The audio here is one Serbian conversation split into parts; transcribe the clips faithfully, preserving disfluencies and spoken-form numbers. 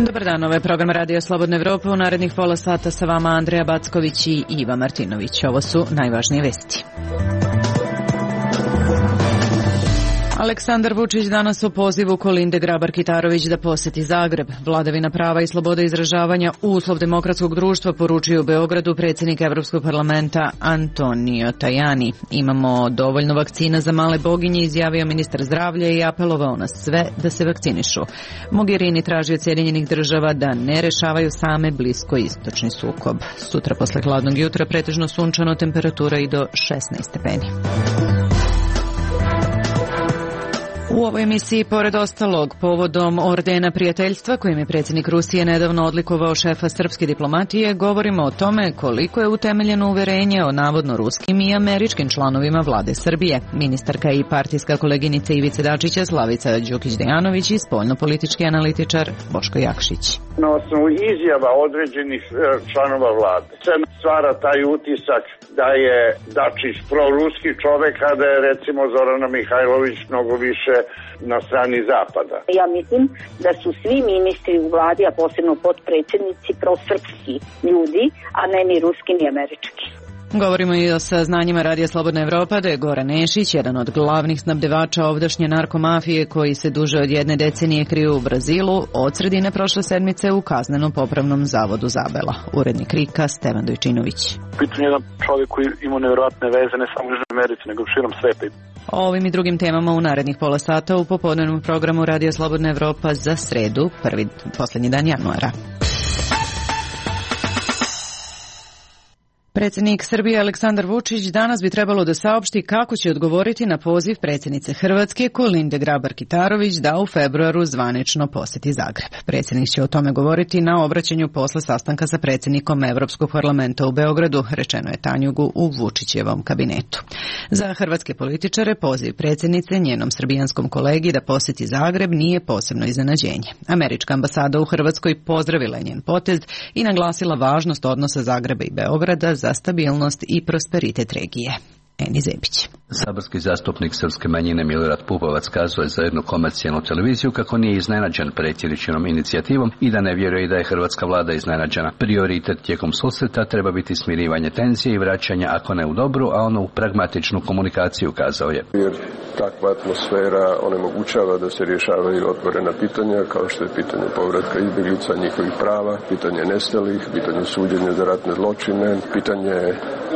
Dobar dan, ovo je program Radio Slobodna Evropa. U narednih pola sata sa vama Andreja Backović i Iva Martinović. Ovo su najvažnije vesti. Aleksandar Vučić danas u pozivu Kolinde Grabar-Kitarović da poseti Zagreb. Vladavina prava i sloboda izražavanja uslov demokratskog društva poručio u Beogradu predsjednik Evropskog parlamenta Antonio Tajani. Imamo dovoljno vakcina za male boginje, izjavio ministar zdravlja i apelovao na sve da se vakcinišu. Mogherini traži od Sjedinjenih država da ne rešavaju same bliskoistočni sukob. Sutra posle hladnog jutra pretežno sunčano, temperatura i do šesnaest stepeni. U ovoj emisiji, pored ostalog, povodom ordena prijateljstva kojim je predsjednik Rusije nedavno odlikovao šefa srpske diplomatije, govorimo o tome koliko je utemeljeno uverenje o navodno ruskim i američkim članovima vlade Srbije. Ministarka i partijska koleginica Ivice Dačića Slavica Đukić-Dejanović i spoljnopolitički analitičar Boško Jakšić. Na osnovu izjava određenih članova vlade se stvara taj utisak da je Dačić proruski čovek, a da je recimo Zorana Mihajlović mnogo više na strani zapada. Ja mislim da su svi ministri u vladi, a posebno potpredsjednici, prosrpski ljudi, a ne ni ruski ni američki. Govorimo i o saznanjima Radija Slobodna Evropa da je Goran Nešić, jedan od glavnih snabdevača ovdašnje narkomafije koji se duže od jedne decenije kriju u Brazilu, od sredine prošle sedmice u kazneno-popravnom zavodu Zabela. Urednik Rika Stevan Dojčinović. Pitanje je jedan čovjek koji ima nevjerojatne veze ne samo u Južnoj Americi, nego širom sveta. O ovim i drugim temama u narednih pola sata u popodnevnom programu Radija Slobodna Evropa za sredu, prvi posljednji dan januara. Predsjednik Srbije Aleksandar Vučić danas bi trebalo da saopšti kako će odgovoriti na poziv predsjednice Hrvatske Kolinde Grabar-Kitarović da u februaru zvanično posjeti Zagreb. Predsjednik će o tome govoriti na obraćanju posle sastanka sa predsjednikom Evropskog parlamenta u Beogradu, rečeno je Tanjugu u Vučićevom kabinetu. Za hrvatske političare poziv predsjednice njenom srbijanskom kolegi da posjeti Zagreb nije posebno iznenađenje. Američka ambasada u Hrvatskoj pozdravila je njen potez i naglasila važnost odnosa Zagreba i Beograda za stabilnost i prosperitet regije. Eni Zebić. Saborski zastupnik srpske manjine Milorad Pupovac kazuje za jednu komercijalnu televiziju kako nije iznenađen predsjedničinom inicijativom i da ne vjeruje da je hrvatska vlada iznenađena. Prioritet tijekom susreta treba biti smirivanje tenzije i vraćanje, ako ne u dobru, a ono u pragmatičnu komunikaciju, kazao je. Jer takva atmosfera onemogućava da se rješavaju otvorena pitanja, kao što je pitanje povratka izbjeglica, njihovih prava, pitanje nestalih, pitanje suđenja za ratne zločine, pitanje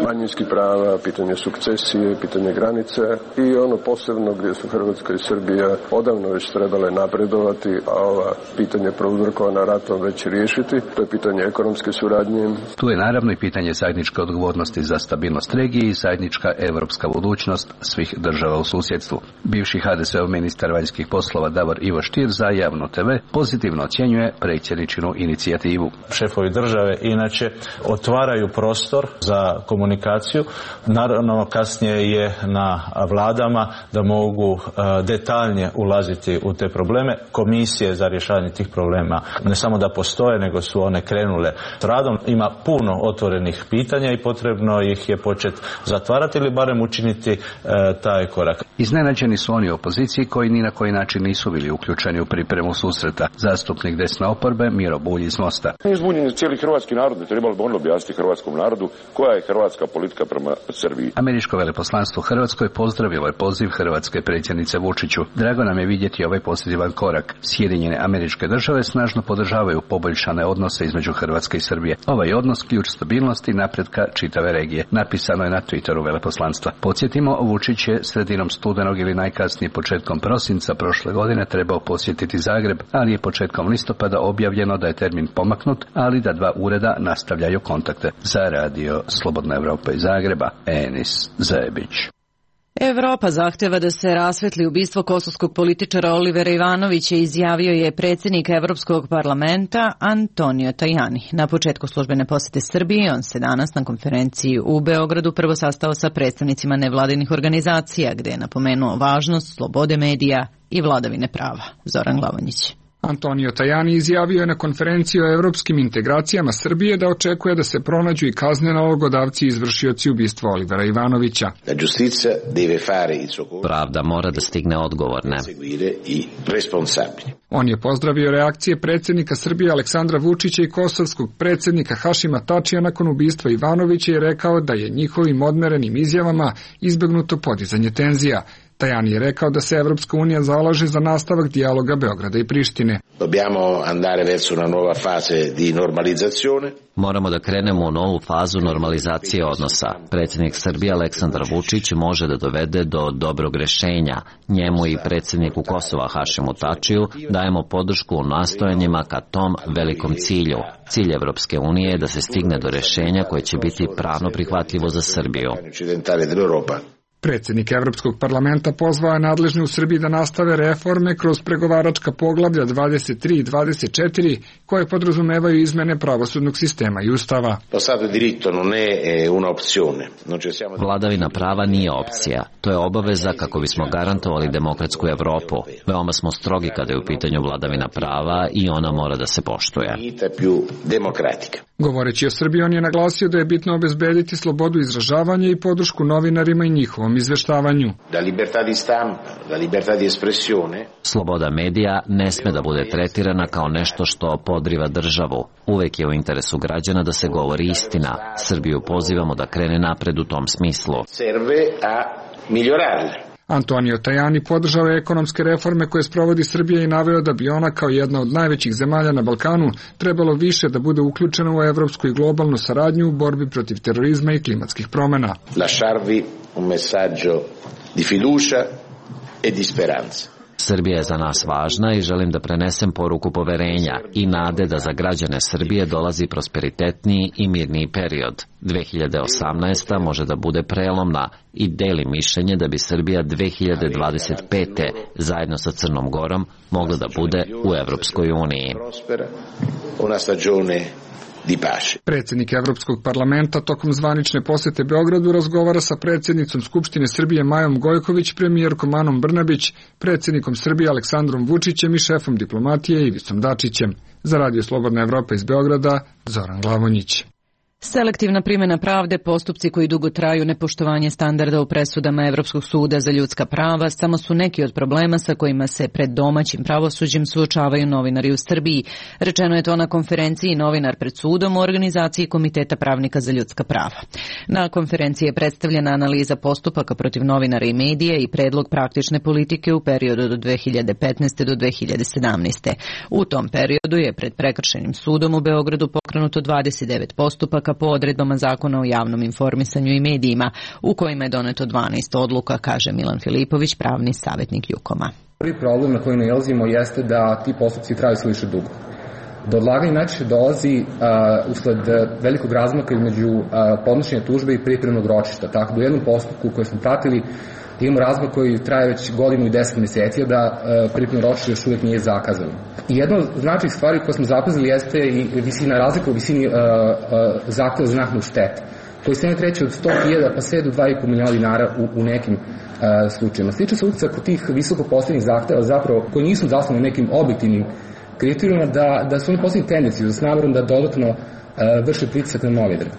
manjinskih prava, pitanje sukcesije, pitanje granice i ono posebno gdje su Hrvatska i Srbija odavno već trebale napredovati, a ova pitanje prouzrokovana ratom već riješiti, to je pitanje ekonomske suradnje. Tu je naravno i pitanje zajedničke odgovornosti za stabilnost regije i zajednička europska budućnost svih država u susjedstvu. Bivši ha de se ov ministar vanjskih poslova Davor Ivo Stier za Javno te ve pozitivno ocjenjuje predsjedničinu inicijativu. Šefovi države inače otvaraju prostor za komunikaciju. Naravno, kasnije je na vladama da mogu detaljnije ulaziti u te probleme. Komisije za rješavanje tih problema ne samo da postoje, nego su one krenule s radom. Ima puno otvorenih pitanja i potrebno ih je početi zatvarati ili barem učiniti e, taj korak. Iznenađeni su oni u opoziciji koji ni na koji način nisu bili uključeni u pripremu susreta. Zastupnik desne oporbe Miro Bulj iz Mosta. Izbunjen je cijeli hrvatski narod, bi trebalo bi on objasniti hrvatskom narodu koja je hrvatska politika prema Srbiji. Američko veleposlanstvo u Hrvatskoj pozdravilo je poziv hrvatske predsjednice Vučiću. Drago nam je vidjeti ovaj pozitivan korak. Sjedinjene Američke Države snažno podržavaju poboljšane odnose između Hrvatske i Srbije. Ovaj odnos ključ stabilnosti i napretka čitave regije. Napisano je na Twitteru veleposlanstva. Podsjetimo, Vučić je sredinom studenog ili najkasnije početkom prosinca prošle godine trebao posjetiti Zagreb, ali je početkom listopada objavljeno da je termin pomaknut, ali da dva ureda nastavljaju kontakte. Za Radio Slobodna Evropa iz Zagreba, Enis Zebić. Evropa zahtjeva da se rasvetli ubistvo kosovskog političara Olivera Ivanovića, izjavio je predsjednik Evropskog parlamenta Antonio Tajani. Na početku službene posjete Srbije on se danas na konferenciji u Beogradu prvo sastao sa predstavnicima nevladinih organizacija, gdje je napomenuo važnost slobode medija i vladavine prava. Zoran Glavonjić. Antonio Tajani izjavio je na konferenciji o evropskim integracijama Srbije da očekuje da se pronađu i kazne nalogodavci i izvršioci ubistva Olivera Ivanovića. Pravda mora da stigne odgovorne. On je pozdravio reakcije predsjednika Srbije Aleksandra Vučića i kosovskog predsjednika Hašima Tačija nakon ubistva Ivanovića i rekao da je njihovim odmerenim izjavama izbegnuto podizanje tenzija. Tajani je rekao da se Evropska unija zalaže za nastavak dijaloga Beograda i Prištine. Moramo da krenemo u novu fazu normalizacije odnosa. Predsjednik Srbije Aleksandar Vučić može da dovede do dobrog rešenja. Njemu i predsjedniku Kosova Hašimu Tačiju dajemo podršku u nastojanjima ka tom velikom cilju. Cilj Evropske unije je da se stigne do rešenja koje će biti pravno prihvatljivo za Srbiju. Predsjednik Evropskog parlamenta pozvao je nadležne u Srbiji da nastave reforme kroz pregovaračka poglavlja dvadeset tri i dvadeset četiri koje podrazumevaju izmene pravosudnog sistema i ustava. Vladavina prava nije opcija. To je obaveza kako bismo garantovali demokratsku Evropu. Veoma smo strogi kada je u pitanju vladavina prava i ona mora da se poštuje. Govoreći o Srbiji, on je naglasio da je bitno obezbediti slobodu izražavanja i podršku novinarima i njihovom izveštavanju. Sloboda medija ne sme da bude tretirana kao nešto što podriva državu. Uvek je u interesu građana da se govori istina. Srbiju pozivamo da krene napred u tom smislu. Antonio Tajani podržao je ekonomske reforme koje sprovodi Srbija i naveo da bi ona kao jedna od najvećih zemalja na Balkanu trebalo više da bude uključena u evropsku i globalnu saradnju u borbi protiv terorizma i klimatskih promena. Lasciarvi un messaggio di fiducia e di speranza. Srbija je za nas važna i želim da prenesem poruku poverenja i nade da za građane Srbije dolazi prosperitetniji i mirniji period. dve hiljade osamnaesta. može da bude prelomna i deli mišljenje da bi Srbija dve hiljade dvadeset pete. zajedno sa Crnom Gorom mogla da bude u Evropskoj uniji. Predsjednik Evropskog parlamenta tokom zvanične posete Beogradu razgovara sa predsjednicom Skupštine Srbije Majom Gojković, premijerkom Anom Brnabić, predsjednikom Srbije Aleksandrom Vučićem i šefom diplomatije Ivicom Dačićem. Za Radio Slobodna Evropa iz Beograda, Zoran Glavonjić. Selektivna primjena pravde, postupci koji dugo traju, nepoštovanje standarda u presudama Evropskog suda za ljudska prava samo su neki od problema sa kojima se pred domaćim pravosuđem suočavaju novinari u Srbiji. Rečeno je to na konferenciji Novinar pred sudom u organizaciji Komiteta pravnika za ljudska prava. Na konferenciji je predstavljena analiza postupaka protiv novinara i medija i predlog praktične politike u periodu do dve hiljade petnaeste. do dve hiljade sedamnaeste. U tom periodu je pred Prekršajnim sudom u Beogradu pokrenuto dvadeset devet postupaka po odredbama Zakona o javnom informisanju i medijima, u kojima je doneto dvanaest odluka, kaže Milan Filipović, pravni savjetnik Jukoma. Prvi problem na koji nailazimo jeste da ti postupci traju sve više dugo. Do odlaganja najčešće dolazi uh, usled velikog razmaka između uh, podnošenja tužbe i pripremnog ročišta. Tako da u jednom postupku koji smo pratili imamo razmak koji traje već godinu i deset mjeseci, a da uh, pripremno ročište još uvijek nije zakazano. I jedna od značajnih stvari koje smo zapazili jeste i visina razlika u visini uh, uh, zahtjeva za naknadu štete, koji se ne kreće od sto hiljada pa sve do dva i po miliona dinara u, u nekim uh, slučajima. Stiče se utisak kod tih visoko postavljenih zahtjeva zapravo koji nisu zasnovani nekim objektivnim kriterijuma da, da su oni postavljeni tendenciju s namerom da dodatno uh, vrše pritisak na novinare.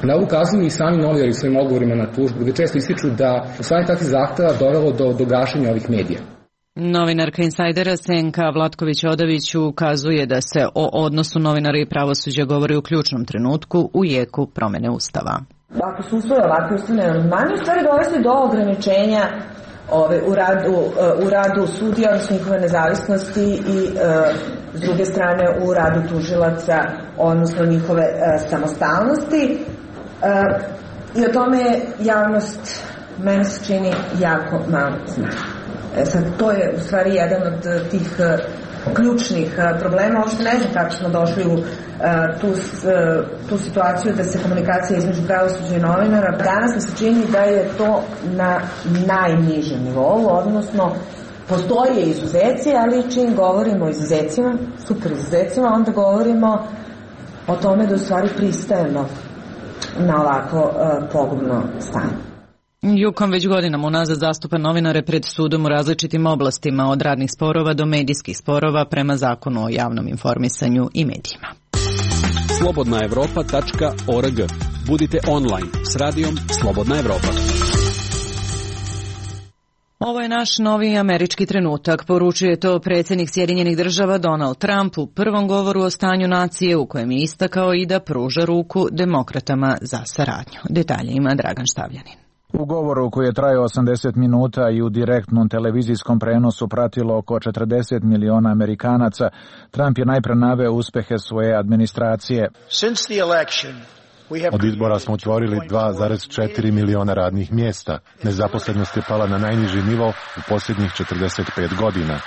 Na ovu ukazuju i sami novinari u svojim odgovorima na tužbu, gde često ističu da usvajanje takvih zahteva dovelo do, do gašenja ovih medija. Novinarka Insajdera Senka Vlatković-Odavić ukazuje da se o odnosu novinara i pravosuđa govori u ključnom trenutku u jeku promene Ustava. Ako su usvoje ovakve ustavne amandmane, u stvari dovesti do ograničenja ove, u, radu, u radu sudija, odnosno njihove nezavisnosti i e, s druge strane u radu tužilaca, odnosno njihove e, samostalnosti. E, I o tome javnost, meni se čini, jako malo zna. E sad, to je u stvari jedan od tih uh, ključnih uh, problema. Uopšte ne znam kako smo došli u uh, tu, uh, tu situaciju da se komunikacija između pravosuđa i novinara. Danas mi se čini da je to na najnižem nivou, odnosno postoje izuzeci, ali čim govorimo o izuzecima, super izuzecima, onda govorimo o tome da u stvari pristajemo na ovako uh, pogubno stanje. Jukom već godinama unazad zastupa novinare pred sudom u različitim oblastima, od radnih sporova do medijskih sporova prema zakonu o javnom informisanju i medijima. slobodna evropa tačka org. Budite online s radijom Slobodna Evropa. Ovo je naš novi američki trenutak, poručuje to predsjednik Sjedinjenih Država Donald Trump u prvom govoru o stanju nacije, u kojem je istakao i da pruža ruku demokratama za saradnju. Detalje ima Dragan Štavljanin. U govoru koji je trajao osamdeset minuta i u direktnom televizijskom prenosu pratilo oko četrdeset miliona Amerikanaca, Trump je najpre naveo uspehe svoje administracije. Od izbora smo otvorili dva zarez četiri miliona radnih mjesta. Nezaposlenost je pala na najniži nivo u posljednjih četrdeset pet godina.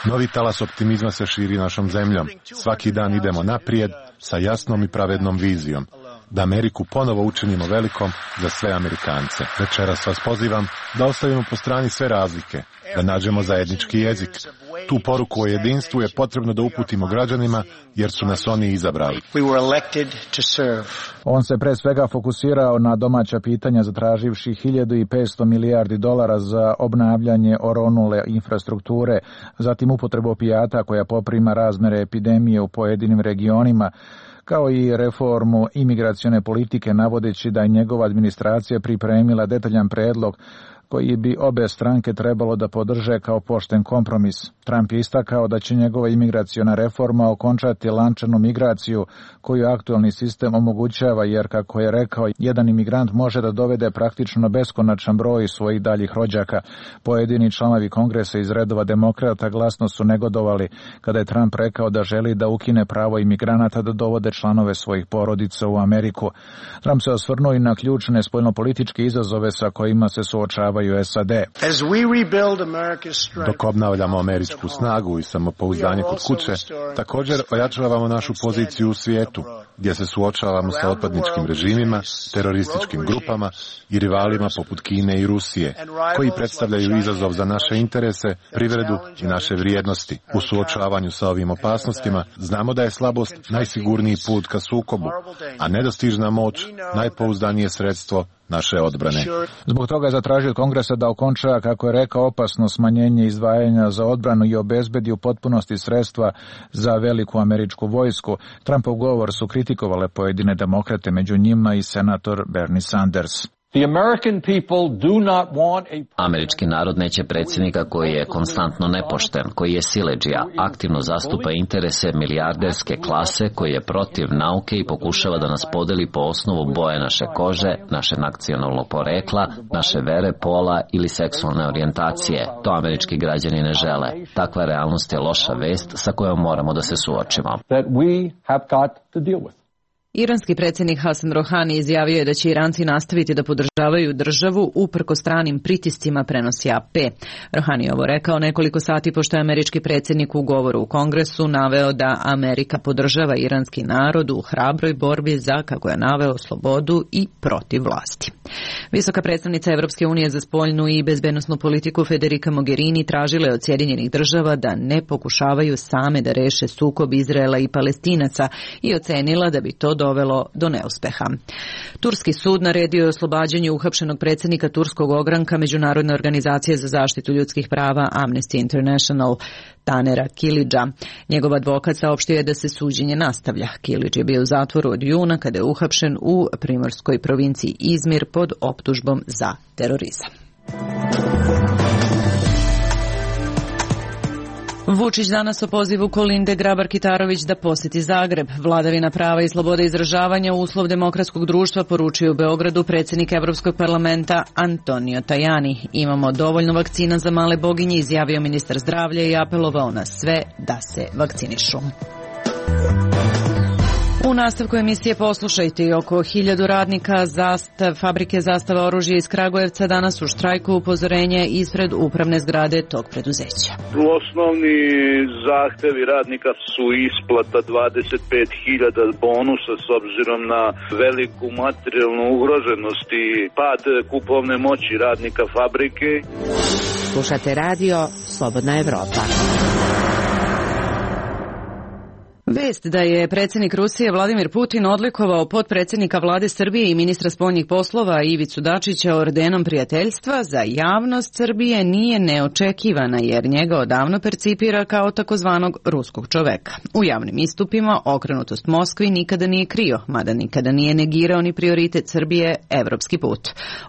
Novi talas optimizma se širi našom zemljom. Svaki dan idemo naprijed sa jasnom i pravednom vizijom. Da Ameriku ponovo učinimo velikom za sve Amerikance. Večeras vas pozivam da ostavimo po strani sve razlike, da nađemo zajednički jezik. Tu poruku o jedinstvu je potrebno da uputimo građanima, jer su nas oni izabrali. On se pre svega fokusirao na domaća pitanja, zatraživši hiljadu i petsto milijardi dolara za obnavljanje oronule infrastrukture, zatim upotrebu opijata koja poprima razmere epidemije u pojedinim regionima, kao i reformu imigracione politike, navodeći da je njegova administracija pripremila detaljan predlog koji bi obe stranke trebalo da podrže kao pošten kompromis. Trump je istakao da će njegova imigraciona reforma okončati lančanu migraciju koju aktualni sistem omogućava, jer, kako je rekao, jedan imigrant može da dovede praktično beskonačan broj svojih daljih rođaka. Pojedini članovi kongresa iz redova demokrata glasno su negodovali kada je Trump rekao da želi da ukine pravo imigranata da dovode članove svojih porodica u Ameriku. Trump se osvrnuo i na ključne spoljnopolitičke izazove sa kojima se suočavaju S A D. Dok obnavljamo američku snagu i samopouzdanje kod kuće, također ojačavamo našu poziciju u svijetu, gdje se suočavamo sa otpadničkim režimima, terorističkim grupama i rivalima poput Kine i Rusije, koji predstavljaju izazov za naše interese, privredu i naše vrijednosti. U suočavanju sa ovim opasnostima znamo da je slabost najsigurniji put ka sukobu, a nedostižna moć najpouzdanije sredstvo naše odbrane. Zbog toga je zatražio od Kongresa da okonča, kako je rekao, opasno smanjenje izdvajanja za odbranu i obezbedi u potpunosti sredstva za veliku američku vojsku. Trumpov govor su kritikovale pojedine demokrate, među njima i senator Bernie Sanders. Američki narod neće predsjednika koji je konstantno nepošten, koji je siledžija, aktivno zastupa interese milijarderske klase, koji je protiv nauke i pokušava da nas podeli po osnovu boje naše kože, naše nacionalnog porekla, naše vere, pola ili seksualne orijentacije. To američki građani ne žele. Takva realnost je loša vest sa kojom moramo da se suočimo. Iranski predsjednik Hasan Rohani izjavio je da će Iranci nastaviti da podržavaju državu uprkos stranim pritiscima, prenosi A P. Rohani je ovo rekao nekoliko sati pošto je američki predsjednik u govoru u Kongresu naveo da Amerika podržava iranski narod u hrabroj borbi za, kako je naveo, slobodu i protiv vlasti. Visoka predstavnica Evropske unije za spoljnu i bezbednosnu politiku Federica Mogherini tražila je od Sjedinjenih Država da ne pokušavaju same da reše sukob Izraela i Palestinaca i ocenila da bi to dovelo do neuspeha. Turski sud naredio je oslobađanje uhapšenog predsjednika turskog ogranka Međunarodne organizacije za zaštitu ljudskih prava Amnesty International Tanera Kilidža. Njegov advokat saopštio je da se suđenje nastavlja. Kilidž je bio u zatvoru od juna kada je uhapšen u primorskoj provinciji Izmir pod optužbom za terorizam. Vučić danas o pozivu Kolinde Grabar-Kitarović da posjeti Zagreb. Vladavina prava i sloboda izražavanja uslov demokratskog društva, poručuje u Beogradu predsjednik Evropskog parlamenta Antonio Tajani. Imamo dovoljno vakcina za male boginje, izjavio ministar zdravlja i apelovao na sve da se vakcinišu. U nastavku emisije poslušajte, oko hiljadu radnika zastav, fabrike Zastava oružja iz Kragujevca danas u štrajku, upozorenje ispred upravne zgrade tog preduzeća. Osnovni zahtevi radnika su isplata dvadeset pet hiljada bonusa s obzirom na veliku materijalnu ugroženost i pad kupovne moći radnika fabrike. Slušate radio Slobodna Evropa. Vest da je predsjednik Rusije Vladimir Putin odlikovao potpredsjednika vlade Srbije i ministra spoljnih poslova Ivicu Dačića ordenom prijateljstva za javnost Srbije nije neočekivana jer njega odavno percipira kao takozvanog ruskog čoveka. U javnim istupima okrenutost Moskvi nikada nije krio, mada nikada nije negirao ni prioritet Srbije, evropski put.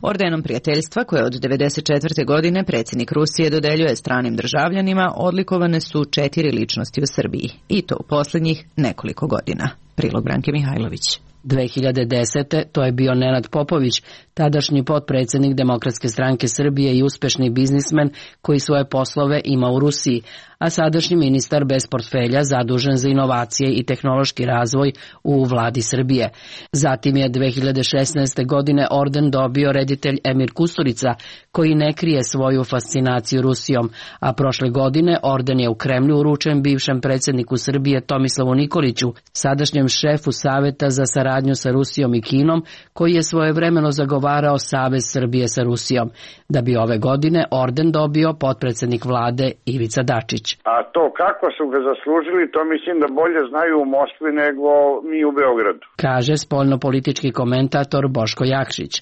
Ordenom prijateljstva koje od devedeset četvrte godine predsjednik Rusije dodeljuje stranim državljanima odlikovane su četiri ličnosti u Srbiji i to u posljednjih nekoliko godina. Prilog Branke Mihajlović. dve hiljade desete. to je bio Nenad Popović, tadašnji potpredsjednik Demokratske stranke Srbije i uspešni biznismen koji svoje poslove ima u Rusiji, a sadašnji ministar bez portfelja zadužen za inovacije i tehnološki razvoj u vladi Srbije. Zatim je dve hiljade šesnaeste. godine orden dobio reditelj Emir Kusturica, koji ne krije svoju fascinaciju Rusijom, a prošle godine orden je u Kremlju uručen bivšem predsjedniku Srbije Tomislavu Nikoliću, sadašnjem šefu Saveta za saradnju sa Rusijom i Kinom, koji je svojevremeno zagovarao Savez Srbije sa Rusijom, da bi ove godine orden dobio potpredsjednik vlade Ivica Dačić. A to kako su ga zaslužili, to mislim da bolje znaju u Moskvi nego mi u Beogradu. Kaže spoljnopolitički komentator Boško Jakšić.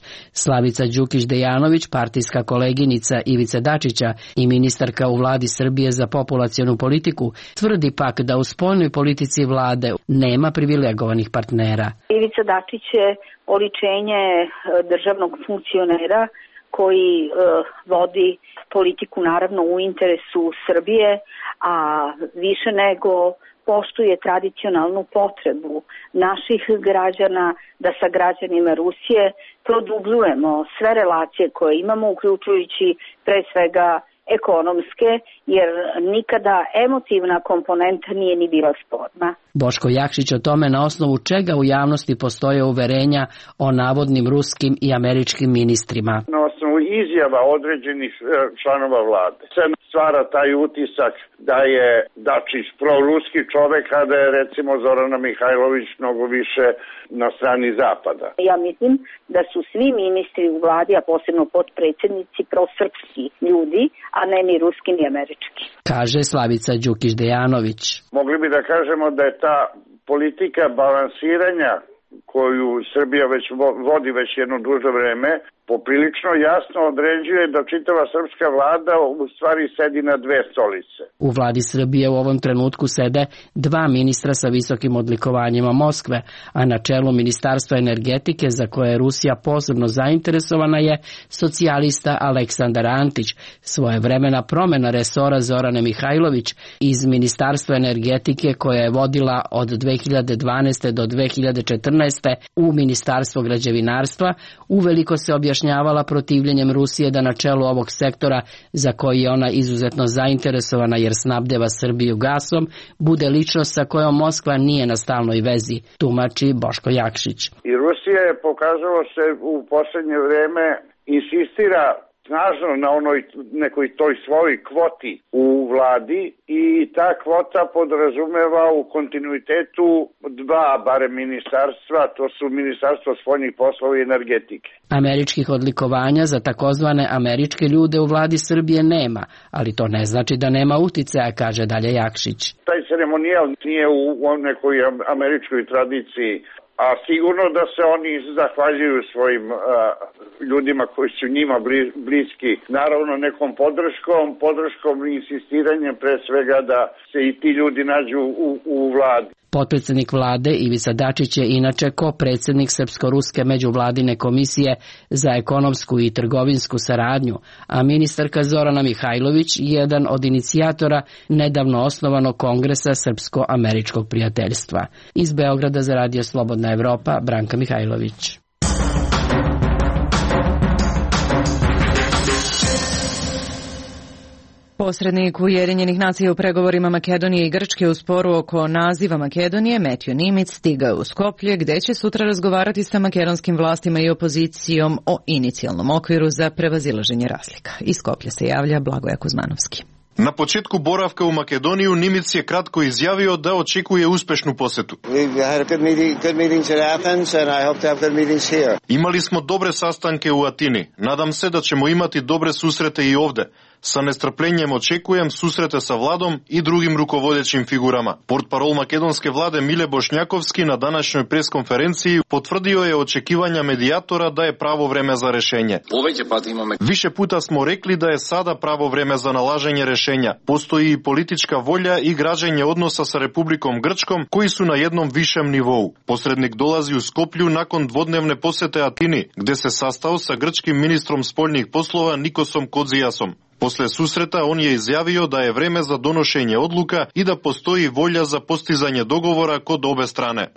Slavica Đukić-Dejanović, partijska koleginica Ivice Dačića i ministarka u vladi Srbije za populacionu politiku, tvrdi pak da u spoljnoj politici vlade nema privilegovanih partnera. Ivica Dačić je oličenje državnog funkcionera koji e, vodi politiku naravno u interesu Srbije, a više nego poštuje tradicionalnu potrebu naših građana da sa građanima Rusije produbljujemo sve relacije koje imamo, uključujući pre svega ekonomske, jer nikada emotivna komponenta nije ni bila sporna. Boško Jakšić o tome na osnovu čega u javnosti postoje uverenja o navodnim ruskim i američkim ministrima. Na osnovu izjava određenih članova vlade se stvara taj utisak da je Dačić proruski čovek, a da je recimo Zorana Mihajlović mnogo više na strani zapada. Ja mislim da su svi ministri u vladi, a posebno potpredsjednici, prosrpski ljudi, a ne ni ruski ni američki. Kaže Slavica Đukić-Dejanović. Mogli bi da kažemo da je ta politika balansiranja koju Srbija već vodi već jedno duže vreme, poprilično jasno određuje da čitava srpska vlada u stvari sedi na dve stolice. U vladi Srbije u ovom trenutku sede dva ministra sa visokim odlikovanjima Moskve, a na čelu Ministarstva energetike, za koje je Rusija posebno zainteresovana, je socijalista Aleksandar Antić, svojevremena promena resora Zorane Mihajlović iz Ministarstva energetike, koja je vodila od dve hiljade dvanaeste. do dve hiljade četrnaeste. u Ministarstvo građevinarstva, uveliko se objašnjavala protivljenjem Rusije da na čelu ovog sektora, za koji je ona izuzetno zainteresovana jer snabdeva Srbiju gasom, bude ličnost sa kojom Moskva nije na stalnoj vezi, tumači Boško Jakšić. I Rusija je pokazalo se u poslednje vreme insistira snažno na onoj nekoj toj svojoj kvoti u vladi i ta kvota podrazumeva u kontinuitetu dva barem ministarstva, to su Ministarstvo spoljnih poslova i energetike. Američkih odlikovanja za takozvane američke ljude u vladi Srbije nema, ali to ne znači da nema uticaja, kaže dalje Jakšić. Taj ceremonijal nije u nekoj američkoj tradiciji, a sigurno da se oni zahvaljuju svojim a, ljudima koji su njima bliski, naravno nekom podrškom, podrškom i insistiranjem pre svega da se i ti ljudi nađu u, u vladi. Potpredsjednik vlade Ivica Dačić je inače ko-predsjednik Srpsko-ruske međuvladine komisije za ekonomsku i trgovinsku saradnju, a ministarka Zorana Mihajlović jedan od inicijatora nedavno osnovanog Kongresa Srpsko-američkog prijateljstva. Iz Beograda za Radio Slobodna Evropa, Branka Mihajlović. Posrednik Ujedinjenih nacija u pregovorima Makedonije i Grčke u sporu oko naziva Makedonije, Metju Nimic, stigao u Skoplje, gde će sutra razgovarati sa makedonskim vlastima i opozicijom o inicijalnom okviru za prevazilaženje razlika. Iz Skoplja se javlja Blagoje Kuzmanovski. Na početku boravka u Makedoniju Nimic je kratko izjavio da očekuje uspešnu posetu. Imali smo dobre sastanke u Atini. Nadam se da ćemo imati dobre susrete i ovde. Sa nestrpljenjem očekujem susrete sa vladom i drugim rukovodećim figurama. Portparol makedonske vlade Mile Bošnjakovski na današnjoj preskonferenciji potvrdio je očekivanja medijatora da je pravo vreme za rešenje. Više puta smo rekli da je sada pravo vreme za nalaženje rešenja. Postoji i politička volja i građenje odnosa sa Republikom Grčkom koji su na jednom višem nivou. Posrednik dolazi u Skoplju nakon dvodnevne posete Atini, gde se sastao sa grčkim ministrom spoljnih poslova Nikosom Kodzijasom. Posle susreta on je izjavio da je vreme za donošenje odluka i da postoji volja za postizanje dogovora kod obe strane.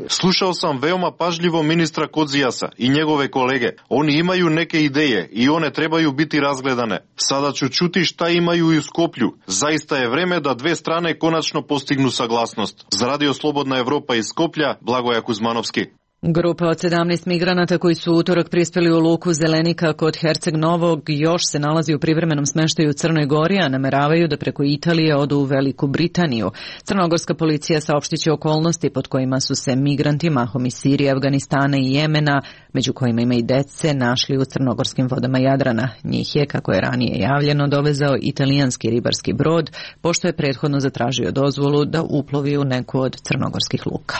Slušao sam veoma pažljivo ministra Kodzijasa i njegove kolege. Oni imaju neke ideje i one trebaju biti razgledane. Sada ću čuti šta imaju i u Skoplju. Zaista je vreme da dve strane konačno postignu saglasnost. Za Radio Slobodna Evropa iz Skoplja, Blagoja Kuzmanovski. Grupa od sedamnaest migranata koji su utorak prispeli u luku Zelenika kod Herceg Novog još se nalazi u privremenom smeštaju u Crnoj Gori, a nameravaju da preko Italije odu u Veliku Britaniju. Crnogorska policija saopštiće okolnosti pod kojima su se migranti mahom iz Sirije, Afganistana i Jemena, među kojima ima i dece, našli u crnogorskim vodama Jadrana. Njih je, kako je ranije javljeno, dovezao italijanski ribarski brod, pošto je prethodno zatražio dozvolu da uplovi u neku od crnogorskih luka.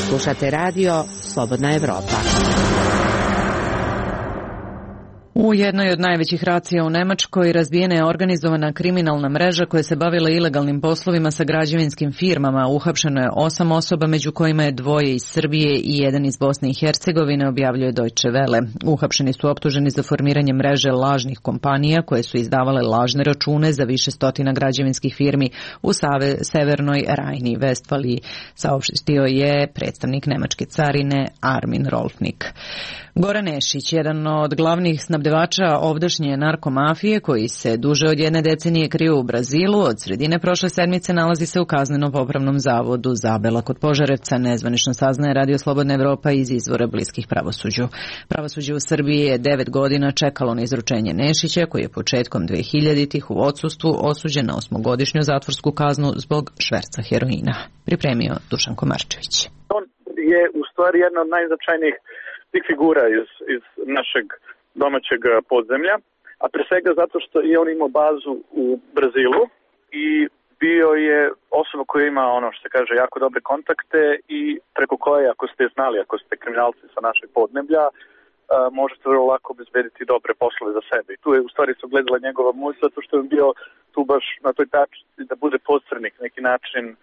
Slušate radio Slobodna Evropa. U jednoj od najvećih racija u Nemačkoj razbijena je organizovana kriminalna mreža koja se bavila ilegalnim poslovima sa građevinskim firmama. Uhapšeno je osam osoba, među kojima je dvoje iz Srbije i jedan iz Bosne i Hercegovine, objavljuje Deutsche Welle. Uhapšeni su optuženi za formiranje mreže lažnih kompanija koje su izdavale lažne račune za više stotina građevinskih firmi u Save, Severnoj Rajni i Vestfaliji, saopštio je predstavnik nemačke carine Armin Rolfnik. Goran Nešić, jedan od glavnih snabdevača ovdašnje narkomafije koji se duže od jedne decenije krio u Brazilu, od sredine prošle sedmice nalazi se u kazneno-popravnom zavodu Zabela kod Požarevca, nezvanično saznaje Radio Slobodna Evropa iz izvora bliskih pravosuđu. Pravosuđe u Srbiji je devet godina čekalo na izručenje Nešića, koji je početkom dvehiljaditih u odsustvu osuđen na osmogodišnju zatvorsku kaznu zbog šverca heroina. Pripremio Dušan Komarčević. On je u stvari jedna od najznačajnijih tih figura iz, iz našeg domaćeg podzemlja, a pre svega zato što je on imao bazu u Brazilu i bio je osoba koja ima, ono što se kaže, jako dobre kontakte i preko koje, ako ste znali, ako ste kriminalci sa našeg podneblja, možete vrlo lako obezbediti dobre poslove za sebe. I tu je u stvari se ogledala njegova moć, zato što je bio tu baš na toj tačci da bude posrednik neki način uh,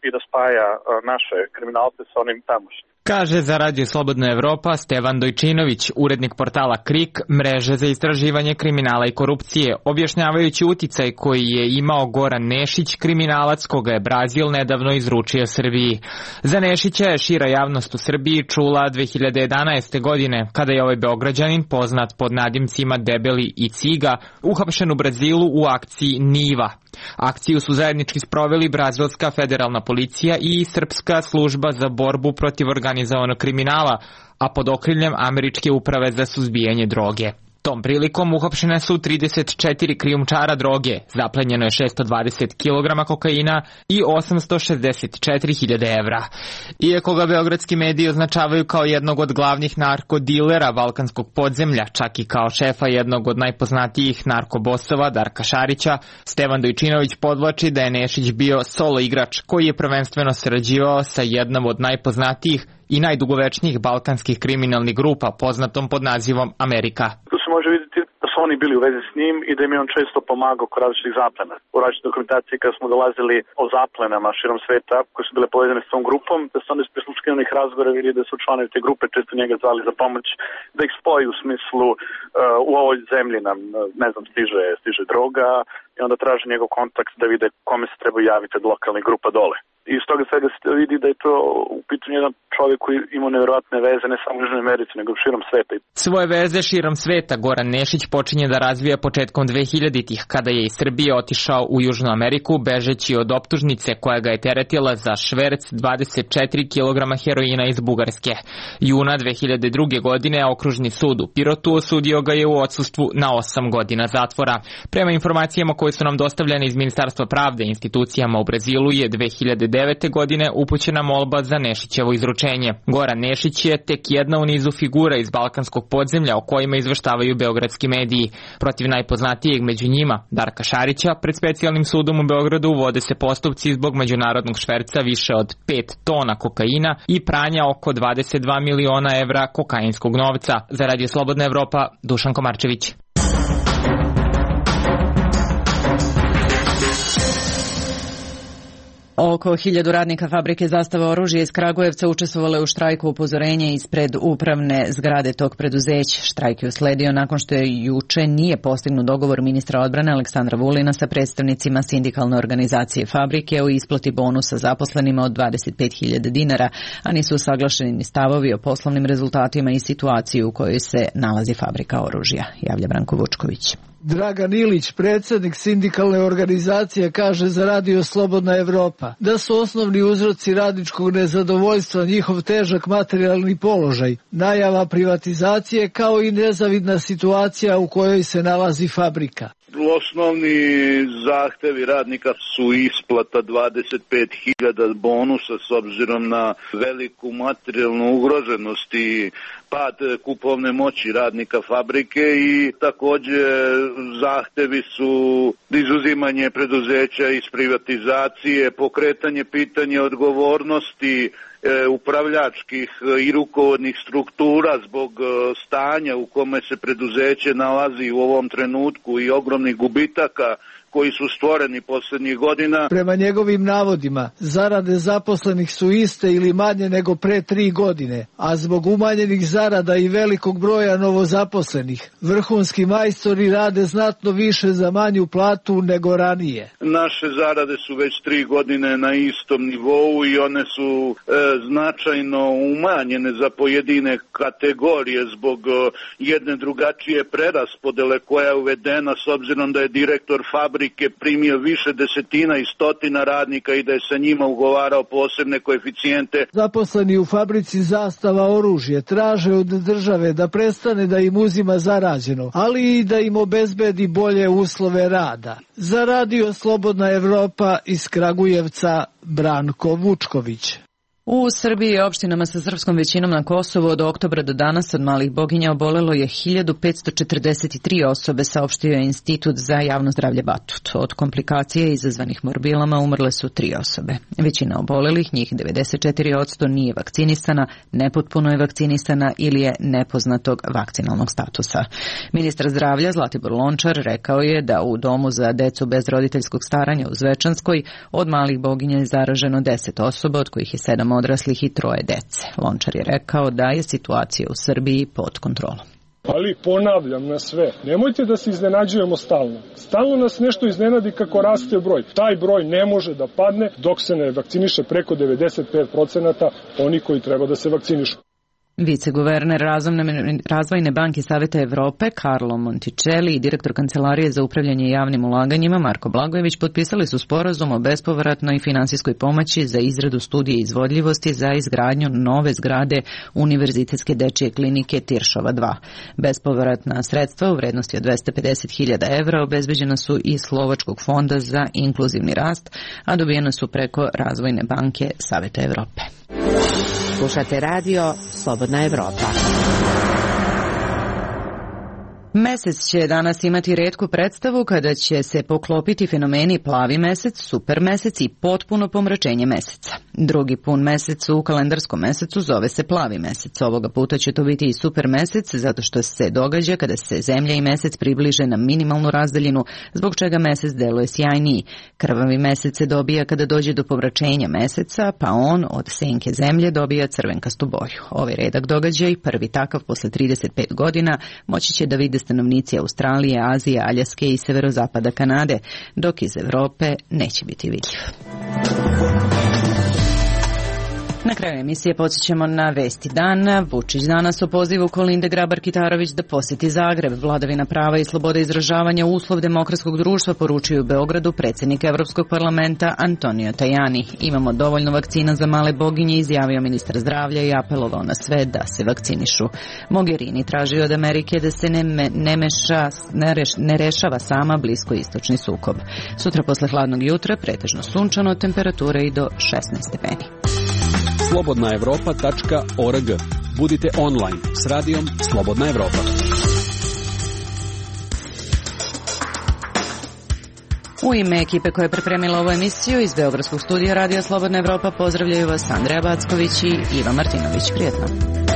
i da spaja uh, naše kriminalce sa onim tamošnjim. Kaže za Radio Slobodna Evropa Stevan Dojčinović, urednik portala Krik, mreže za istraživanje kriminala i korupcije, objašnjavajući uticaj koji je imao Goran Nešić, kriminalac koga je Brazil nedavno izručio Srbiji. Za Nešića je šira javnost u Srbiji čula dve hiljade jedanaeste. godine, kada je ovaj Beograđanin, poznat pod nadimcima Debeli i Ciga, uhapšen u Brazilu u akciji Niva. Akciju su zajednički sproveli brazilska federalna policija i srpska služba za borbu protiv organizovanog kriminala, a pod okriljem američke uprave za suzbijanje droge. Tom prilikom uhapšene su trideset četiri krijumčara droge, zaplenjeno je šesto dvadeset kilograma kokaina i osamsto šezdeset četiri hiljade evra. Iako ga beogradski mediji označavaju kao jednog od glavnih narkodilera balkanskog podzemlja, čak i kao šefa jednog od najpoznatijih narkobosova Darka Šarića, Stevan Dojčinović podvlači da je Nešić bio solo igrač koji je prvenstveno sarađivao sa jednom od najpoznatijih i najdugovečnijih balkanskih kriminalnih grupa, poznatom pod nazivom Amerika. Tu se može vidjeti da su oni bili u vezi s njim i da im je on često pomagao kod različitih zaplena. U različitoj dokumentaciji kada smo dolazili o zaplenama širom sveta koje su bile povezane s tom grupom, da su onda iz prisluškivanih razgovora vidjeli da su članovi te grupe često njega zvali za pomoć, da ih spoji u smislu uh, u ovoj zemlji nam, ne znam, stiže, stiže droga i onda traže njegov kontakt da vide kome se treba javiti od lokalnih grupa dole. I iz toga svega se vidi da je to u pitanju jedan čovjek koji ima nevjerojatne veze ne samo u Južnoj Americi, nego širom sveta. Svoje veze širom sveta Goran Nešić počinje da razvija početkom dvehiljaditih, kada je iz Srbije otišao u Južnu Ameriku, bežeći od optužnice koja ga je teretila za šverc dvadeset četiri kilograma heroina iz Bugarske. Juna dve hiljade druge. godine okružni sud u Pirotu osudio ga je u odsustvu na osam godina zatvora. Prema informacijama koje su nam dostavljene iz Ministarstva pravde institucijama u Brazilu je dve hiljade devete godine upućena molba za Nešićevo izručenje. Goran Nešić je tek jedna u nizu figura iz balkanskog podzemlja o kojima izveštavaju beogradski mediji. Protiv najpoznatijeg među njima, Darka Šarića, pred specijalnim sudom u Beogradu vode se postupci zbog međunarodnog šverca više od pet tona kokaina i pranja oko dvadeset dva miliona evra kokainskog novca. Za Radio Slobodna Evropa, Dušan Komarčević. Oko hiljadu radnika fabrike Zastava oružja iz Kragujevca učestvovalo je u štrajku upozorenja ispred upravne zgrade tog preduzeća. Štrajk je usledio nakon što je juče nije postignut dogovor ministra odbrane Aleksandra Vulina sa predstavnicima sindikalne organizacije fabrike o isplati bonusa zaposlenima od dvadeset pet hiljada dinara, a nisu usaglašeni ni stavovi o poslovnim rezultatima i situaciji u kojoj se nalazi fabrika oružja, javlja Branko Vučković. Dragan Ilić, predsjednik sindikalne organizacije, kaže za Radio Slobodna Evropa da su osnovni uzroci radničkog nezadovoljstva njihov težak materijalni položaj, najava privatizacije kao i nezavidna situacija u kojoj se nalazi fabrika. Osnovni zahtevi radnika su isplata dvadeset pet hiljada bonusa s obzirom na veliku materijalnu ugroženost i pad kupovne moći radnika fabrike i također zahtevi su izuzimanje preduzeća iz privatizacije, pokretanje pitanja odgovornosti upravljačkih i rukovodnih struktura zbog stanja u kome se preduzeće nalazi u ovom trenutku i ogromnih gubitaka koji su stvoreni posljednjih godina. Prema njegovim navodima, zarade zaposlenih su iste ili manje nego pre tri godine, a zbog umanjenih zarada i velikog broja novozaposlenih, vrhunski majstori rade znatno više za manju platu nego ranije. Naše zarade su već tri godine na istom nivou i one su e, značajno umanjene za pojedine kategorije zbog e, jedne drugačije preraspodele koja je uvedena s obzirom da je direktor fabrike primio više desetina i stotina radnika i da je sa njima ugovarao posebne koeficijente. Zaposleni u fabrici Zastava oružje traže od države da prestane da im uzima zarađeno, ali i da im obezbedi bolje uslove rada. Za Radio Slobodna Evropa iz Kragujevca, Branko Vučković. U Srbiji i opštinama sa srpskom većinom na Kosovu od oktobra do danas od malih boginja obolelo je hiljadu petsto četrdeset tri osobe, saopštio je Institut za javno zdravlje Batut. Od komplikacije izazvanih morbilama umrle su tri osobe. Većina obolelih, njih devedeset četiri posto, nije vakcinisana, nepotpuno je vakcinisana ili je nepoznatog vakcinalnog statusa. Ministar zdravlja Zlatibor Lončar rekao je da u domu za decu bez roditeljskog staranja u Zvečanskoj od malih boginja je zaraženo deset osoba, od kojih je sedam odraslih i troje dece. Lončar je rekao da je situacija u Srbiji pod kontrolom. Ali ponavljam na sve, nemojte da se iznenađujemo stalno. Stalno nas nešto iznenadi kako raste broj. Taj broj ne može da padne dok se ne vakciniše preko devedeset pet procenata oni koji treba da se vakcinišu. Viceguverner Razvojne banke Saveta Evrope Carlo Monticelli i direktor Kancelarije za upravljanje javnim ulaganjima Marko Blagojević potpisali su sporazum o bespovratnoj finansijskoj pomoći za izradu studije izvodljivosti za izgradnju nove zgrade Univerzitetske dečije klinike Tiršova dva. Bespovratna sredstva u vrednosti od dvesta pedeset hiljada evra obezbeđena su iz Slovačkog fonda za inkluzivni rast, a dobijena su preko Razvojne banke Saveta Evrope. Slušate Radio Slobodna Evropa. Mesec će danas imati retku predstavu kada će se poklopiti fenomeni plavi mesec, super mesec i potpuno pomračenje meseca. Drugi pun mesec u kalendarskom mesecu zove se plavi mesec. Ovoga puta će to biti i super mesec zato što se događa kada se zemlja i mesec približe na minimalnu razdaljinu, zbog čega mesec deluje sjajniji. Krvavi mesec se dobija kada dođe do pomračenja meseca, pa on od senke zemlje dobija crvenkastu boju. Ovaj redak događaj, prvi takav posle trideset pet godina, moći će da vide stanovnici Australije, Azije, Aljaske i severozapada Kanade, dok iz Evrope neće biti vidljiv. Na kraju emisije podsjećamo na vesti dana. Vučić danas o pozivu Kolinde Grabar-Kitarović da poseti Zagreb. Vladavina prava i sloboda izražavanja uslov demokratskog društva poručuju u Beogradu predsjednik Evropskog parlamenta Antonio Tajani. Imamo dovoljno vakcina za male boginje, izjavio ministar zdravlja i apelovao na sve da se vakcinišu. Mogherini traži od Amerike da se ne, me, ne, meša, ne, reš, ne rešava sama bliskoistočni sukob. Sutra posle hladnog jutra pretežno sunčano, temperature i do šesnaest stepeni. slobodna evropa tačka org. Budite online s radijom Slobodna Evropa. U ime ekipe koja je pripremila ovu emisiju iz Beogradskog studija Radija Slobodna Evropa pozdravljaju vas Andreja Backović i Iva Martinović. Prijetno.